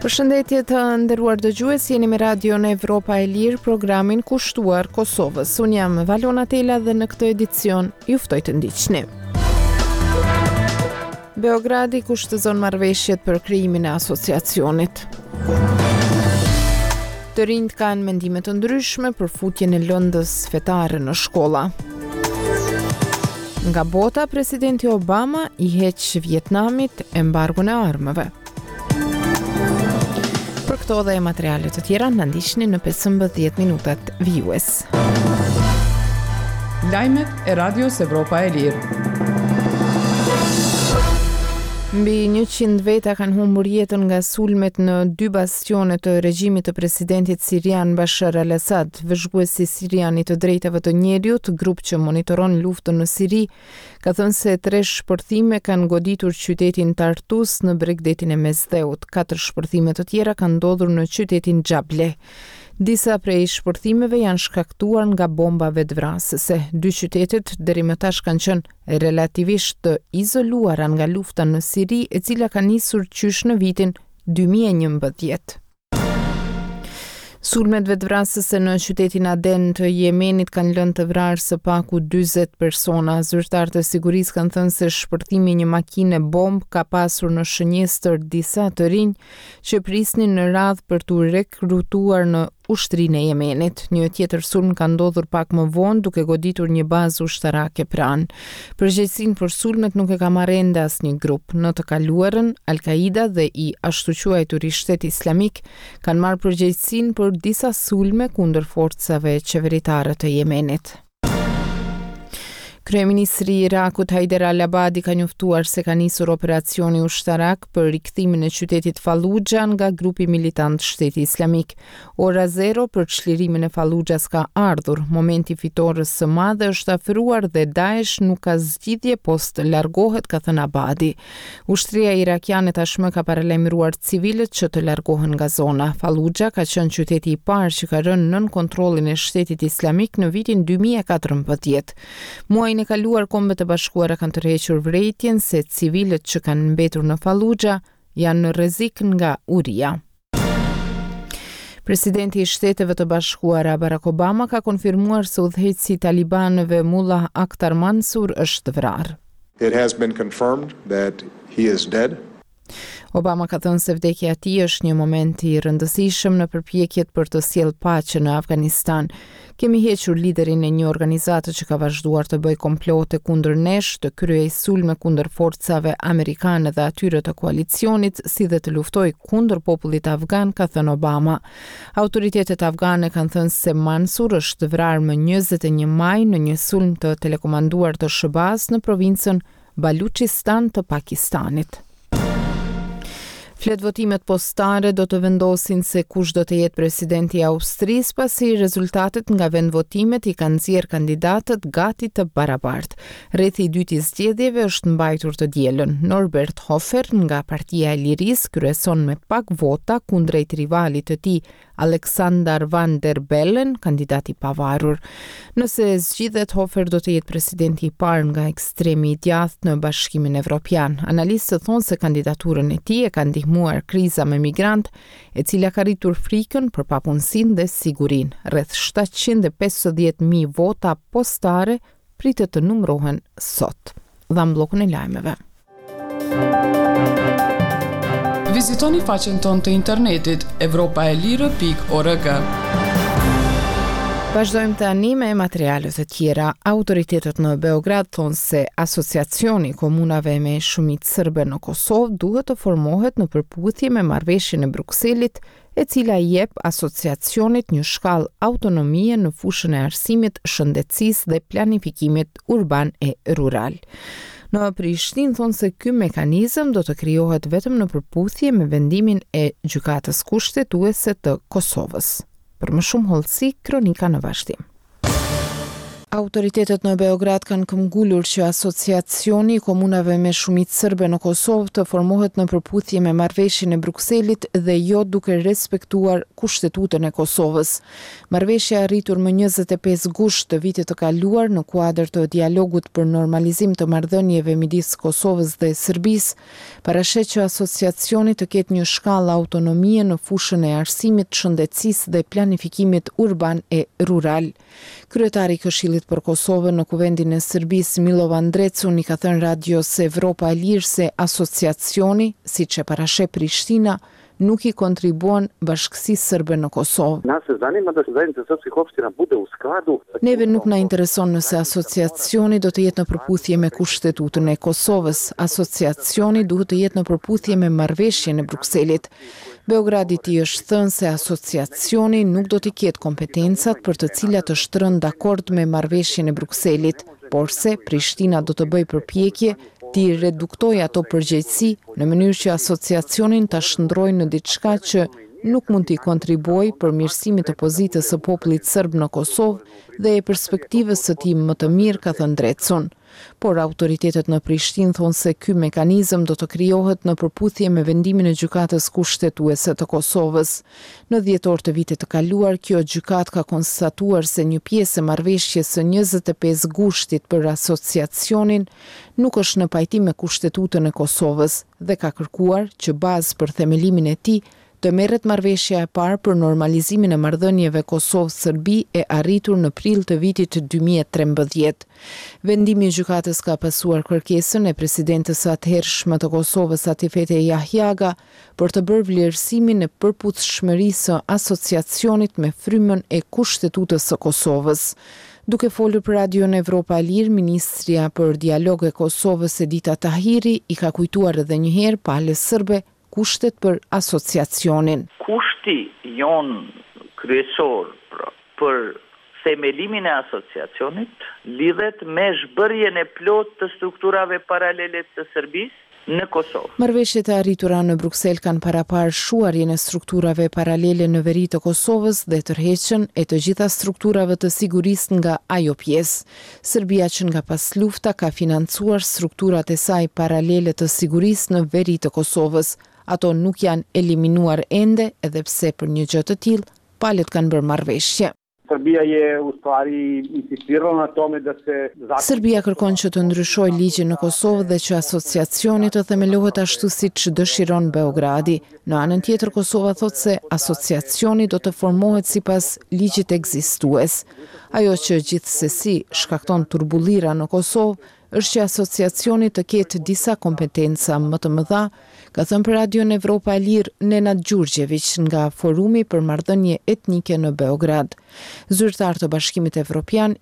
Përshëndetje të nderuar dëgjues, jeni me Radion Evropa e Lirë, programin kushtuar Kosovës. Unë jam Valona Tela dhe në këtë edicion ju ftoj të ndiqni. Beogradi kushtëzon marrëveshjet për krijimin e asociacionit. Të rinjtë kanë mendime të ndryshme për futjen e lëndës fetare në shkolla. Nga bota, presidenti Obama i heq Vietnamit embargon e armëve. Për këto dhe materiale të tjera, na ndiqni në 15 minutat vijues. Lajmet e Radios Evropa e Lirë. Mbi 100 veta kanë humbur jetën nga sulmet në dy bastione të regjimit të presidentit sirian Bashar al-Assad. Vëzhguesi sirian i të drejtave të njeriut, grup që monitoron luftën në Siri, ka thënë se tre shpërthime kanë goditur qytetin Tartus në bregdetin e Mesdheut. Katër shpërthime të tjera kanë ndodhur në qytetin Xhableh. Disa prej shpërthimeve janë shkaktuar nga bomba vetëvrasëse. Dy qytetet deri më tash kanë qenë relativisht të izoluara nga lufta në Siri, e cila ka nisur qysh në vitin 2011. Sulmet vetëvrasëse në qytetin Aden të Jemenit kanë lënë të vrarë së paku 40 persona. Zyrtarë të sigurisë kanë thënë se shpërthimi i një makine bombë ka pasur në shënjestër disa të rinj që prisnin në radhë për t'u rekrutuar në ushtrinë e Jemenit. Një tjetër sulm ka ndodhur pak më vonë duke goditur një bazë ushtarake pranë. Përgjegjësinë për sulmet nuk e ka marrë ende asnjë grup. Në të kaluarën, Al-Qaida dhe i ashtuquajturi Shtet Islamik kanë marrë përgjegjësinë për disa sulme kundër forcave qeveritare të Jemenit. Kryeministri i Irakut Haider al-Abadi ka njoftuar se ka nisur operacioni ushtarak për rikthimin e qytetit Fallujah nga grupi militant Shteti Islamik. Ora zero për çlirimin e Falluxhas ka ardhur, momenti i fitores së madhe është afruar dhe Daesh nuk ka zgjidhje pos të largohet, ka thënë Abadi. Ushtria irakiane tashmë ka paralajmëruar civilët që të largohen nga zona. Falluxha ka qenë qyteti i parë që ka rënë nën kontrollin e Shtetit Islamik në vitin 2014. Muajin e kaluar Kombet e Bashkuara kanë tërhequr vërejtjen se civilët që kanë mbetur në Falluxha janë në rrezik nga uria. Presidenti i Shteteve të Bashkuara, Barack Obama, ka konfirmuar se udhëheqësi i talibanëve Mullah Akhtar Mansur është vrarë. It has been confirmed that he is dead. Obama ka thënë se vdekja e tij është një moment i rëndësishëm në përpjekjet për të sjellë paqe në Afganistan. Kemi hequr liderin e një organizate që ka vazhduar të bëjë komplote kundër nesh, të kryejë sulme kundër forcave amerikane dhe atyre të koalicionit, si dhe të luftojë kundër popullit afgan, ka thënë Obama. Autoritetet afgane kanë thënë se Mansur është vrarë më 21 maj në një sulm të telekomanduar të SHBA-së në provincën Baluçistan të Pakistanit. Fletëvotimet postare do të vendosin se kush do të jetë presidenti i Austrisë, pasi rezultatet nga vendvotimet i kanë nxjerrë kandidatët gati të barabartë. Rrethi i dytë i zgjedhjeve është mbajtur të dielën. Norbert Hofer nga Partia e Lirisë kryeson me pak vota kundrejt rivalit të tij Alexander Van der Bellen, kandidat i pavarur. Nëse zgjidhet, Hofer do të jetë presidenti i parë nga ekstremi i djathtë në Bashkimin Evropian. Analistët thonë se kandidaturën e tij e ka ndihmuar kriza me migrantë, e cila ka rritur frikën për papunësinë dhe sigurinë. Rreth 750.000 vota postare pritet të numërohen sot. Dhamë bllokun e lajmeve. Vizitoni faqen tonë të internetit evropaelire.org. Vazhdojmë tani me materiale të tjera. Autoritetet në Beograd thonë se Asociacioni i Komunave me shumicë serbe në Kosovë duhet të formohet në përputhje me marrëveshjen e Brukselit e cila i jep asociacionit një shkallë autonomie në fushën e arsimit, shëndetësisë dhe planifikimit urban e rural. Në Prishtinë thonë se ky mekanizëm do të krijohet vetëm në përputhje me vendimin e Gjykatës Kushtetuese të Kosovës. Për më shumë hollësi, kronika në vazhdim. Autoritetet në Beograd kanë këmbgulur që Asociacioni i Komunave me Shumicë Sërbe në Kosovë të formohet në përputhje me Marrëveshjen e Brukselit dhe jo duke respektuar Kushtetutën e Kosovës. Marrëveshja e arritur më 25 gusht të vitit të kaluar në kuadër të dialogut për normalizim të marrëdhënieve midis Kosovës dhe Serbisë, parasheh që Asociacioni të ketë një shkallë autonomie në fushën e arsimit, shëndetësisë dhe planifikimit urban e rural. Kryetari i Këshillit për Kosovën në Kuvendin e Serbisë, Milovan Drecun, i ka thënë Radios Evropa e Lirë se Asociacioni, siç e parasheh Prishtina, nuk i kontribuon bashkësisë sërbe në Kosovë. Nas ne zanima da se Zajednica srpskih opština bude u skladu sa Neve nuk na intereson nëse Asociacioni do të jetë në përputhje me Kushtetutën e Kosovës. Asociacioni duhet të jetë në përputhje me Marrëveshjen e Brukselit. Beogradit i është thënë se Asociacioni nuk do t'i ketë kompetencat për të cilat është rënë dakord me Marrëveshjen e Brukselit, porse Prishtina do të bëjë përpjekje t'i reduktojë ato përgjegjësi në mënyrë që Asociacionin ta shndërrojë në diçka që nuk mund t'i kontribuojë përmirësimit të pozitës së popullit sërb në Kosovë dhe perspektivës së tij më të mirë, ka thënë Drecun. Por autoritetet në Prishtinë thonë se ky mekanizëm do të krijohet në përputhje me vendimin e Gjykatës Kushtetuese të Kosovës. Në dhjetor të vitit të kaluar, kjo gjykatë ka konstatuar se një pjesë e marrëveshjes së 25 gushtit për Asociacionin nuk është në pajtim me Kushtetutën e Kosovës dhe ka kërkuar që bazë për themelimin e tij të merret marrëveshja e parë për normalizimin e marrëdhënieve Kosovë-Serbi e arritur në prill të vitit 2013. Vendimi i gjykatës ka pasuar kërkesën e presidentes së atëhershme të Kosovës Atifete Jahjaga për të bërë vlerësimin e përputhshmërisë së asociacionit me frymën e Kushtetutës së Kosovës. Duke folur për Radion Evropa e Lirë, ministrja për Dialog e Kosovës Edita Tahiri i ka kujtuar edhe një herë palës sërbe kushtet për asociacionin. Kushti jonë kryesor pra për themelimin e asociacionit lidhet me zhbërjen e plotë të strukturave paralele të Serbisë në Kosovë. Marrëveshjet e arritura në Bruksel kanë paraparë shuarjen e strukturave paralele në veri të Kosovës dhe tërheqjen e të gjitha strukturave të sigurisë nga ajo pjesë. Serbia që nga paslufta ka financuar strukturat e saj paralele të sigurisë në veri të Kosovës. Ato nuk janë eliminuar ende edhe pse për një gjë të tillë palët kanë bërë marrëveshje. Srbija je u stvari insistirala na tome da se zakon Serbia kërkon që të ndryshojë ligjin në Kosovë dhe që asociacioni të themelohet ashtu siç dëshiron Beogradi. Në anën tjetër Kosova thotë se asociacioni do të formohet sipas ligjit ekzistues. Ajo që gjithsesi shkakton turbullira në Kosovë është që asociacioni të ketë disa kompetenca më të mëdha, ka thënë për Radion Evropa e Lirë Nenad Gjurgjeviq nga Forumi për Marrëdhënie Etnike në Beograd. Zyrtarë të Bashkimit Evropian.